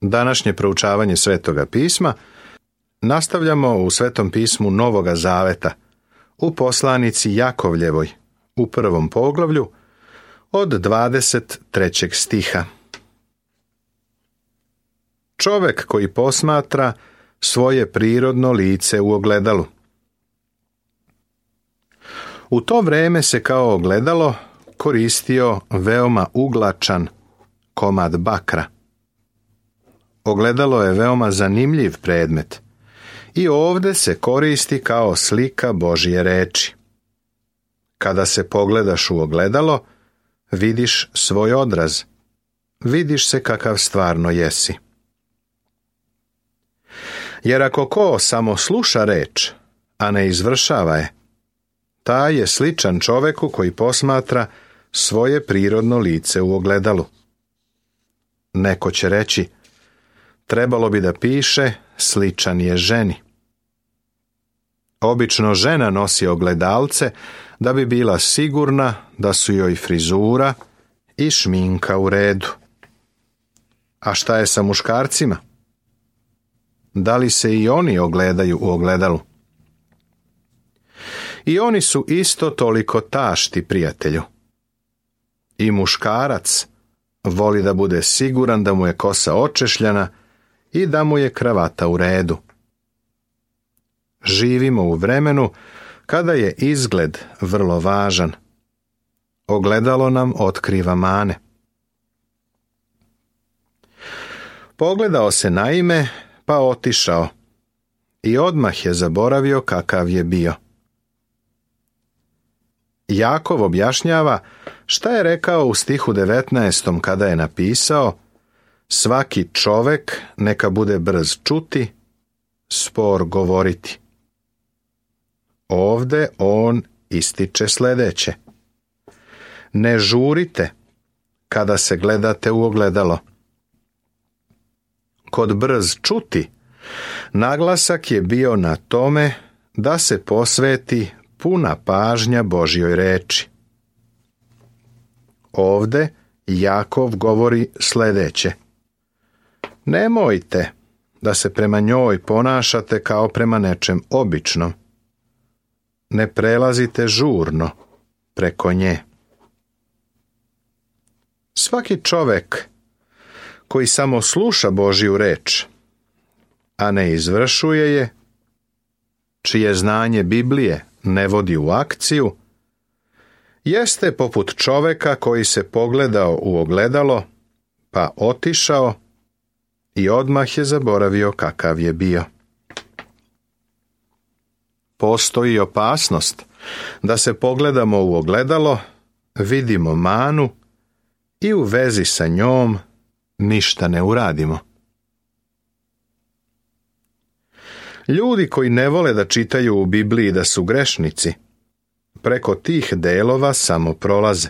Današnje proučavanje Svetoga pisma nastavljamo u Svetom pismu Novoga Zaveta, u poslanici Jakovljevoj, u 1. poglavlju, od 23. stiha. Čovek koji posmatra svoje prirodno lice u ogledalu. U to vreme se kao ogledalo koristio veoma uglačan komad bakra. Ogledalo je veoma zanimljiv predmet i ovdje se koristi kao slika Božje reči. Kada se pogledaš u ogledalo, vidiš svoj odraz, vidiš se kakav stvarno jesi. Jer ako ko samo sluša reč, a ne izvršava je, taj je sličan čoveku koji posmatra svoje prirodno lice u ogledalu. Neko će reći, trebalo bi da piše, sličan je ženi. Obično žena nosi ogledalce da bi bila sigurna da su joj frizura i šminka u redu. A šta je sa muškarcima? Da li se i oni ogledaju u ogledalu? I oni su isto toliko tašti, prijatelju. I muškarac voli da bude siguran da mu je kosa očešljana i da mu je kravata u redu. Živimo u vremenu kada je izgled vrlo važan. Ogledalo nam otkriva mane. Pogledao se naime, pa otišao i odmah je zaboravio kakav je bio. Jakov objašnjava šta je rekao u stihu 19. kada je napisao: svaki čovek neka bude brz čuti, spor govoriti. Ovde on ističe sljedeće: ne žurite kada se gledate u ogledalo. Kod brz čuti naglasak je bio na tome da se posveti puna pažnja Božjoj reči. Ovde Jakov govori sljedeće: nemojte da se prema njoj ponašate kao prema nečem običnom. Ne prelazite žurno preko nje. Svaki čovek koji samo sluša Božju reč, a ne izvršuje je, čije znanje Biblije ne vodi u akciju, jeste poput čoveka koji se pogledao u ogledalo, pa otišao i odmah je zaboravio kakav je bio. Postoji opasnost da se pogledamo u ogledalo, vidimo manu i u vezi sa njom ništa ne uradimo. Ljudi koji ne vole da čitaju u Bibliji da su grešnici, preko tih delova samo prolaze.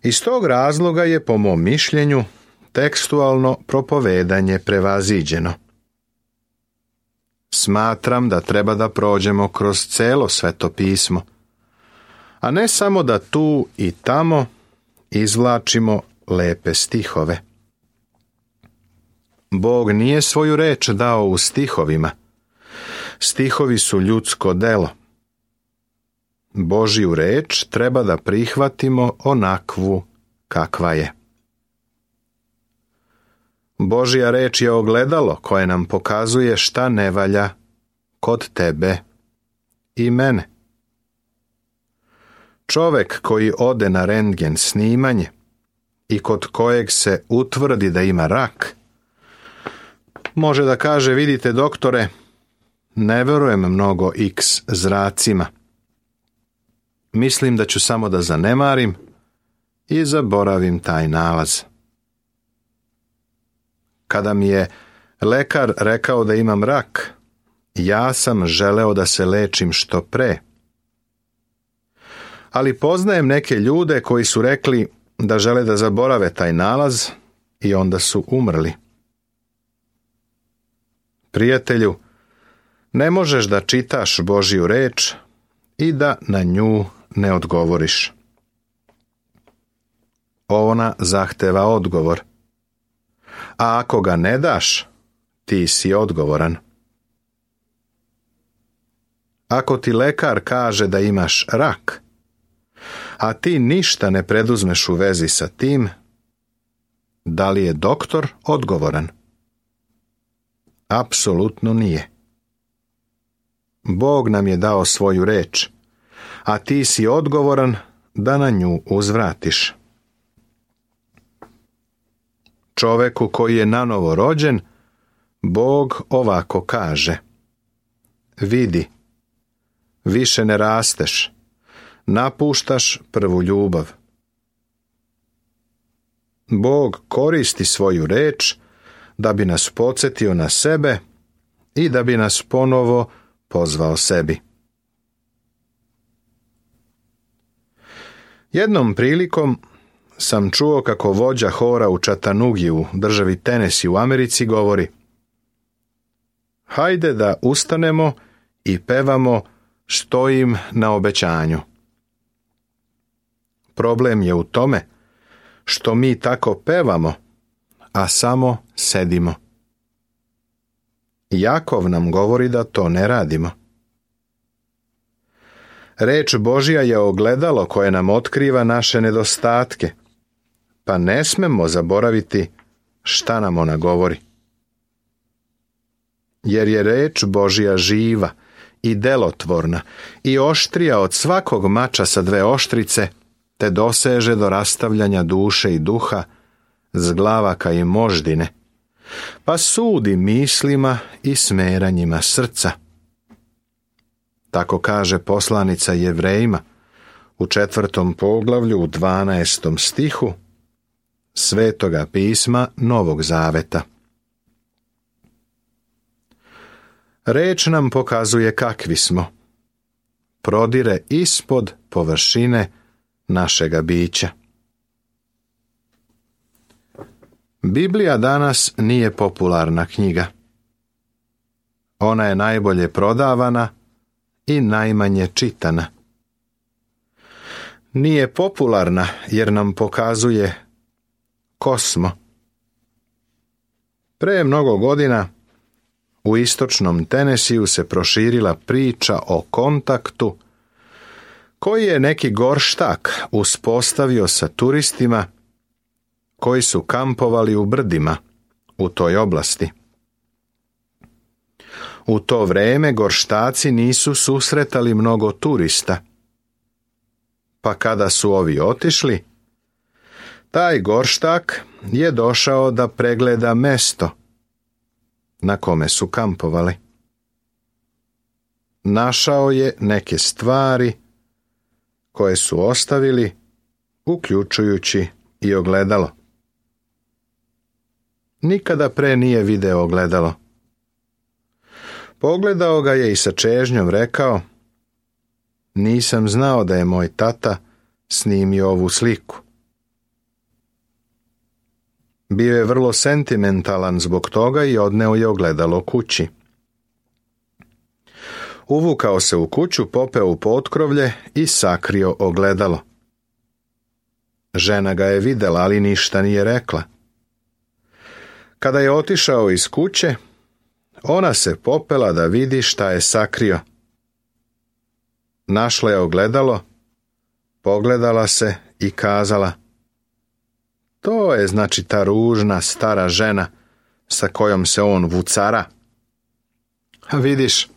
Iz tog razloga je, po mom mišljenju, tekstualno propovedanje prevaziđeno. Smatram da treba da prođemo kroz celo Sveto pismo, a ne samo da tu i tamo izvlačimo lepe stihove. Bog nije svoju reč dao u stihovima. Stihovi su ljudsko delo. Božju reč treba da prihvatimo onakvu kakva je. Božja reč je ogledalo koje nam pokazuje šta ne valja kod tebe i mene. Čovek koji ode na rentgen snimanje i kod kojeg se utvrdi da ima rak, može da kaže: vidite doktore, ne verujem mnogo X zracima. Mislim da ću samo da zanemarim i zaboravim taj nalaz. Kada mi je lekar rekao da imam rak, ja sam želeo da se lečim što pre. Ali poznajem neke ljude koji su rekli da žele da zaborave taj nalaz i onda su umrli. Prijatelju, ne možeš da čitaš Božju reč i da na nju ne odgovoriš. Ona zahteva odgovor. a ako ga ne daš, ti si odgovoran. Ako ti lekar kaže da imaš rak, a ti ništa ne preduzmeš u vezi sa tim, da li je doktor odgovoran? Apsolutno nije. Bog nam je dao svoju reč, a ti si odgovoran da na nju uzvratiš. Čoveku koji je nanovo rođen, Bog ovako kaže: vidi, više ne rasteš, napuštaš prvu ljubav. Bog koristi svoju reč da bi nas podsjetio na sebe i da bi nas ponovo pozvao sebi. Jednom prilikom sam čuo kako vođa hora u Chattanoogi u državi Tennessee u Americi govori: hajde da ustanemo i pevamo Stojim na obećanju. Problem je u tome što mi tako pevamo, a samo sedimo. Jakov nam govori da to ne radimo. Reč Božja je ogledalo koje nam otkriva naše nedostatke, pa ne smemo zaboraviti šta nam ona govori. Jer je reč Božja živa i delotvorna i oštrija od svakog mača sa dve oštrice, te doseže do rastavljanja duše i duha, zglavaka i moždine, pa sudi mislima i smeranjima srca. Tako kaže poslanica Jevrejima u 4. poglavlju u 12. stihu Svetoga pisma Novog Zaveta. Reč nam pokazuje kakvi smo. Prodire ispod površine našega bića. Biblija danas nije popularna knjiga. Ona je najbolje prodavana i najmanje čitana. Nije popularna jer nam pokazuje ko smo. Pre mnogo godina u istočnom Tennesseeu se proširila priča o kontaktu koji je neki gorštak uspostavio sa turistima koji su kampovali u brdima u toj oblasti. U to vreme gorštaci nisu susretali mnogo turista, pa kada su ovi otišli, taj gorštak je došao da pregleda mesto na kome su kampovali. Našao je neke stvari koje su ostavili, uključujući i ogledalo. Nikada pre nije video ogledalo. Pogledao ga je i sa čežnjom rekao: nisam znao da je moj tata snimio ovu sliku. Bio je vrlo sentimentalan zbog toga i odneo je ogledalo kući. Uvukao se u kuću, popeo u potkrovlje i sakrio ogledalo. Žena ga je videla, ali ništa nije rekla. Kada je otišao iz kuće, ona se popela da vidi šta je sakrio. Našla je ogledalo, pogledala se i kazala: to je znači ta ružna stara žena sa kojom se on vucara. A vidiš,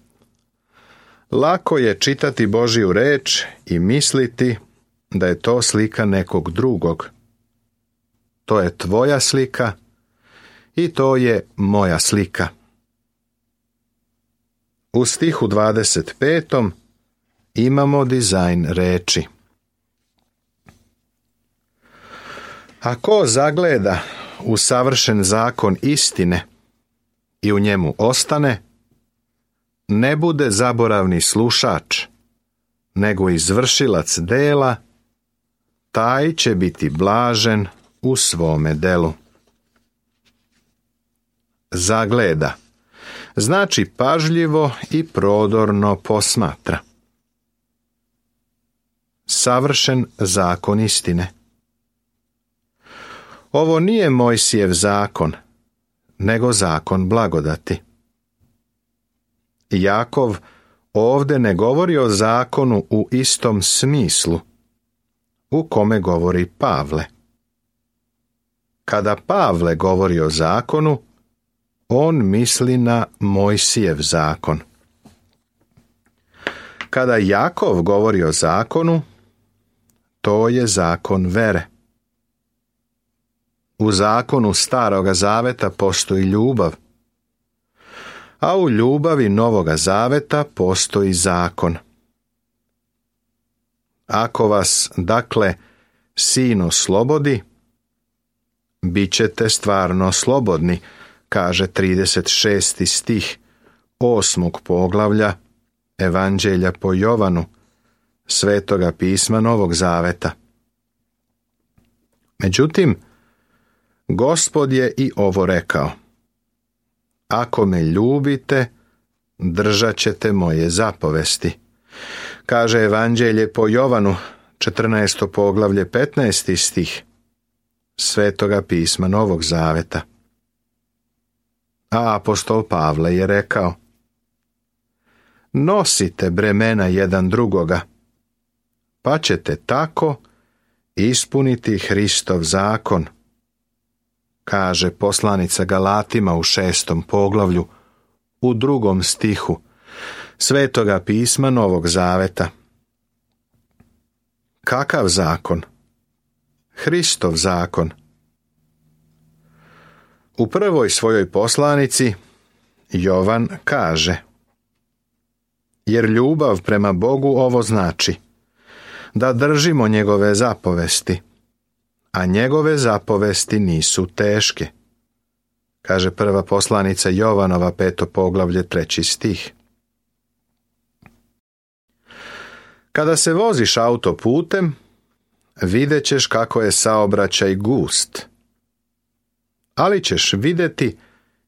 lako je čitati Božju reč i misliti da je to slika nekog drugog. To je tvoja slika i to je moja slika. U stihu 25. imamo dizajn reči. A ko zagleda u savršen zakon istine i u njemu ostane, ne bude zaboravni slušač, nego izvršilac dela, taj će biti blažen u svome delu. Zagleda znači pažljivo i prodorno posmatra. Savršen zakon istine. Ovo nije Mojsijev zakon, nego zakon blagodati. Jakov ovdje ne govori o zakonu u istom smislu u kome govori Pavle. Kada Pavle govori o zakonu, on misli na Mojsijev zakon. Kada Jakov govori o zakonu, to je zakon vere. U zakonu Staroga zaveta postoji ljubav, a u ljubavi Novoga zaveta postoji zakon. Ako vas, dakle, Sin oslobodi, bit ćete stvarno slobodni, kaže 36. stih 8. poglavlja Evanđelja po Jovanu, Svetoga pisma Novog zaveta. Međutim, Gospod je i ovo rekao: ako me ljubite, držat ćete moje zapovesti. Kaže Evanđelje po Jovanu, 14. poglavlje 15. stih Svetoga pisma Novog zaveta. A apostol Pavle je rekao: nosite bremena jedan drugoga, pa ćete tako ispuniti Hristov zakon, kaže poslanica Galatima u 6. poglavlju, u 2. stihu Svetoga pisma Novog zaveta. Kakav zakon? Hristov zakon. U prvoj svojoj poslanici Jovan kaže: jer ljubav prema Bogu ovo znači, da držimo njegove zapovesti, a njegove zapovesti nisu teške, kaže prva poslanica Jovanova 5. poglavlje 3. stih. Kada se voziš autoputem, vidjet ćeš kako je saobraćaj gust, ali ćeš vidjeti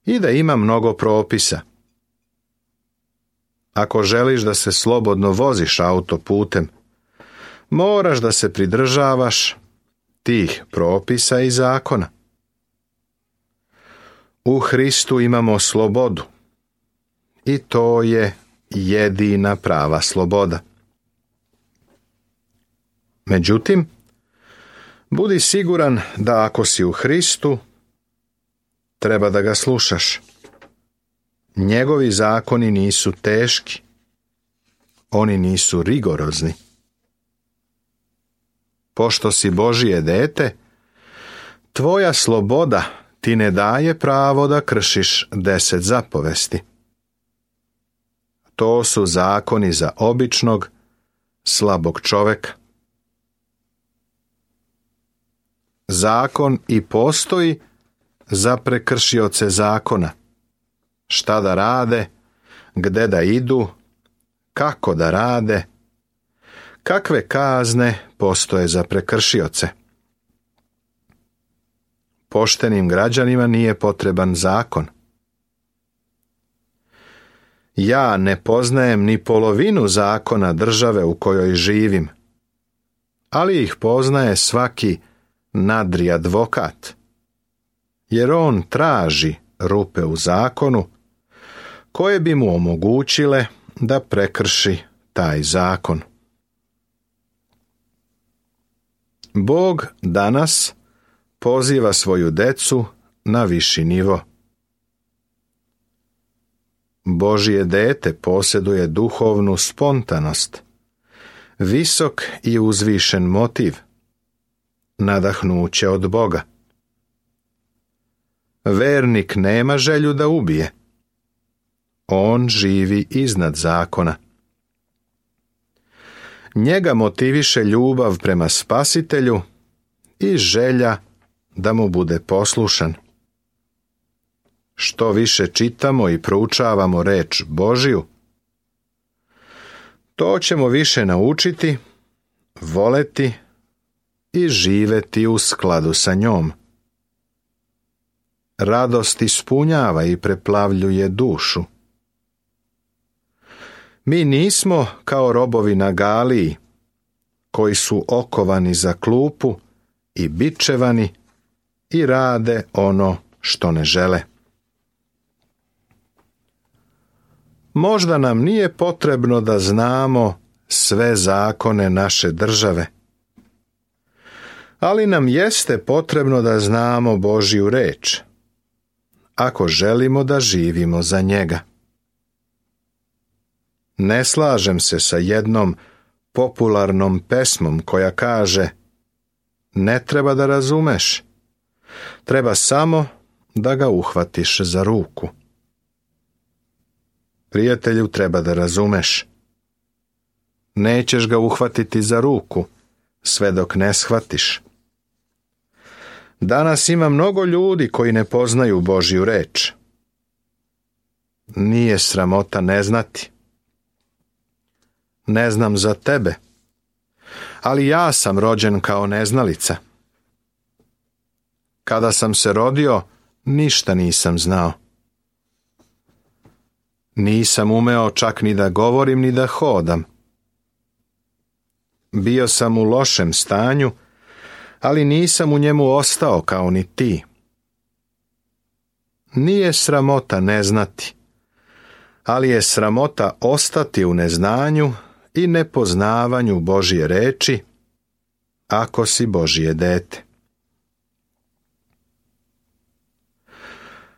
i da ima mnogo propisa. Ako želiš da se slobodno voziš autoputem, moraš da se pridržavaš tih propisa i zakona. U Hristu imamo slobodu i to je jedina prava sloboda. Međutim, budi siguran da ako si u Hristu, treba da ga slušaš. Njegovi zakoni nisu teški, oni nisu rigorozni. Pošto si Božje dete, tvoja sloboda ti ne daje pravo da kršiš 10 zapovesti. To su zakoni za običnog, slabog čoveka. Zakon i postoji za prekršioce zakona. Šta da rade, gde da idu, kako da rade, kakve kazne postoje za prekršioce. Poštenim građanima nije potreban zakon. Ja ne poznajem ni polovinu zakona države u kojoj živim, ali ih poznaje svaki nadri advokat, jer on traži rupe u zakonu koje bi mu omogućile da prekrši taj zakon. Bog danas poziva svoju decu na viši nivo. Božje dete posjeduje duhovnu spontanost, visok i uzvišen motiv, nadahnuće od Boga. Vernik nema želju da ubije. On živi iznad zakona. Njega motiviše ljubav prema Spasitelju i želja da mu bude poslušan. Što više čitamo i proučavamo reč Božju, to ćemo više naučiti, voleti i živeti u skladu sa njom. Radost ispunjava i preplavljuje dušu. Mi nismo kao robovi na Galiji, koji su okovani za klupu i bičevani i rade ono što ne žele. Možda nam nije potrebno da znamo sve zakone naše države, ali nam jeste potrebno da znamo Božju reč, ako želimo da živimo za njega. Ne slažem se sa jednom popularnom pesmom koja kaže: ne treba da razumeš, treba samo da ga uhvatiš za ruku. Prijatelju, treba da razumeš. Nećeš ga uhvatiti za ruku sve dok ne shvatiš. Danas ima mnogo ljudi koji ne poznaju Božju reč. Nije sramota ne znati. Ne znam za tebe, ali ja sam rođen kao neznalica. Kada sam se rodio, ništa nisam znao. Nisam umeo čak ni da govorim ni da hodam. Bio sam u lošem stanju, ali nisam u njemu ostao kao ni ti. Nije sramota ne znati, ali je sramota ostati u neznanju i nepoznavanju Božje reči, ako si Božje dete.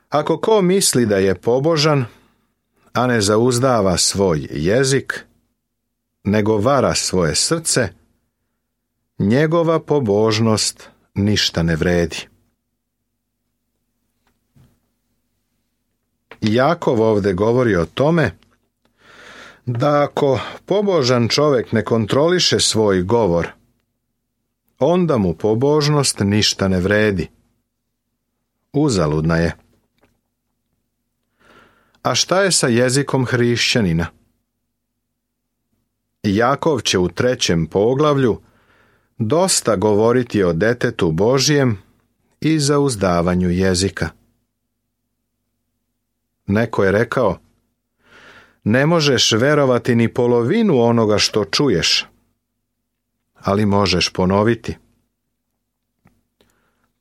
Ako ko misli da je pobožan, a ne zauzdava svoj jezik, nego vara svoje srce, njegova pobožnost ništa ne vredi. Jakov ovdje govori o tome da ako pobožan čovjek ne kontroliše svoj govor, onda mu pobožnost ništa ne vredi. Uzaludna je. A šta je sa jezikom hrišćanina? Jakov će u 3. poglavlju dosta govoriti o detetu Božjem i zauzdavanju jezika. Neko je rekao: ne možeš verovati ni polovinu onoga što čuješ, ali možeš ponoviti.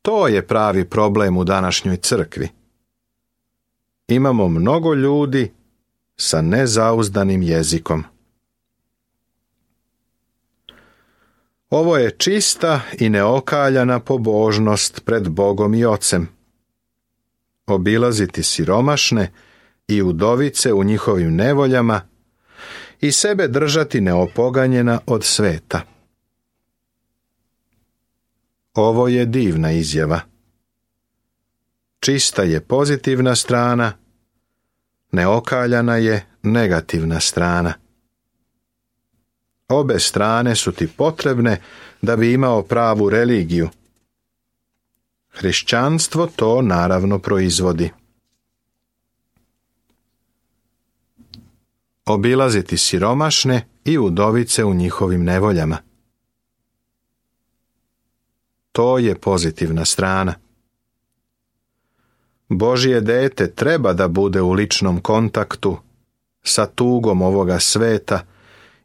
To je pravi problem u današnjoj crkvi. Imamo mnogo ljudi sa nezauzdanim jezikom. Ovo je čista i neokaljana pobožnost pred Bogom i Ocem. Obilaziti siromašne i udovice u njihovim nevoljama i sebe držati neopoganjena od sveta. Ovo je divna izjava. Čista je pozitivna strana, neokaljana je negativna strana. Obe strane su ti potrebne da bi imao pravu religiju. Hrišćanstvo to naravno proizvodi. Obilaziti siromašne i udovice u njihovim nevoljama. To je pozitivna strana. Božje dete treba da bude u ličnom kontaktu sa tugom ovoga sveta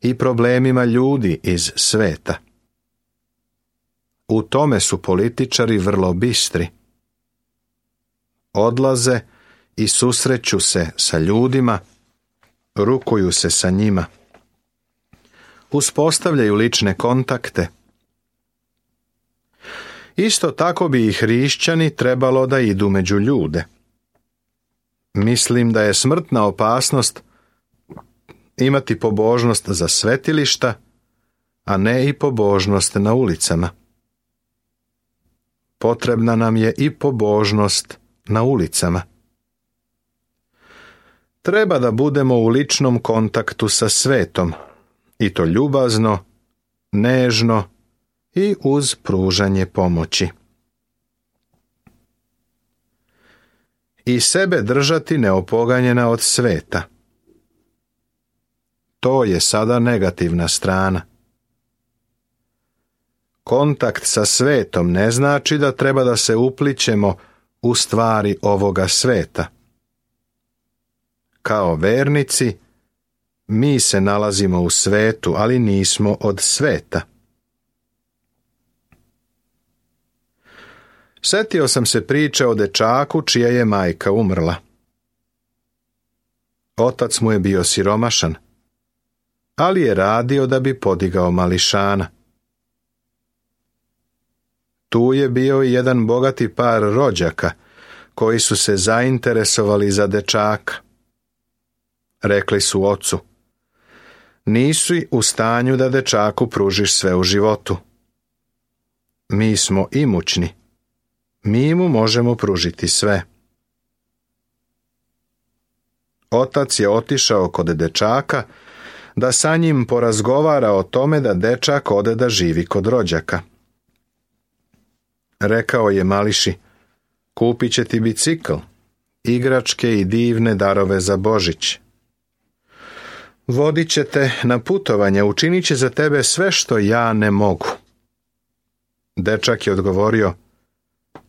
i problemima ljudi iz sveta. U tome su političari vrlo bistri. Odlaze i susreću se sa ljudima, rukuju se sa njima. Uspostavljaju lične kontakte. Isto tako bi i hrišćani trebalo da idu među ljude. Mislim da je smrtna opasnost imati pobožnost za svetilišta, a ne i pobožnost na ulicama. Potrebna nam je i pobožnost na ulicama. Treba da budemo u ličnom kontaktu sa svetom, i to ljubazno, nežno i uz pružanje pomoći. I sebe držati neopoganjena od sveta. To je sada negativna strana. Kontakt sa svetom ne znači da treba da se uplićemo u stvari ovoga sveta. Kao vernici, mi se nalazimo u svetu, ali nismo od sveta. Setio sam se priče o dečaku čija je majka umrla. Otac mu je bio siromašan, ali je radio da bi podigao mališana. Tu je bio i jedan bogati par rođaka koji su se zainteresovali za dečaka. Rekli su ocu: nisi u stanju da dečaku pružiš sve u životu. Mi smo imućni, mi mu možemo pružiti sve. Otac je otišao kod dečaka da sa njim porazgovara o tome da dečak ode da živi kod rođaka. Rekao je mališi: kupit će ti bicikl, igračke i divne darove za Božić. Vodit će te na putovanje, učinit će za tebe sve što ja ne mogu. Dečak je odgovorio: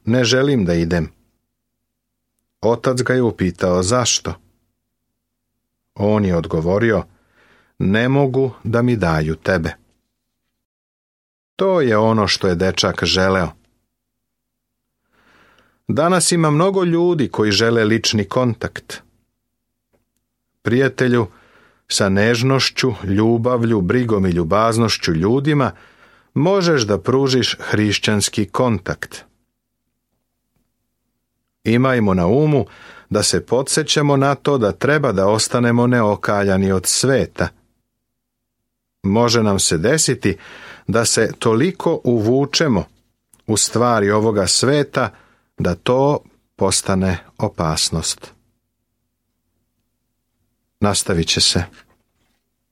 ne želim da idem. Otac ga je upitao zašto. On je odgovorio: ne mogu da mi daju tebe. To je ono što je dečak želeo. Danas ima mnogo ljudi koji žele lični kontakt. Prijatelju, sa nežnošću, ljubavlju, brigom i ljubaznošću ljudima možeš da pružiš hrišćanski kontakt. Imajmo na umu da se podsjećamo na to da treba da ostanemo neokaljani od sveta. Može nam se desiti da se toliko uvučemo u stvari ovoga sveta da to postane opasnost. Nastavit će se.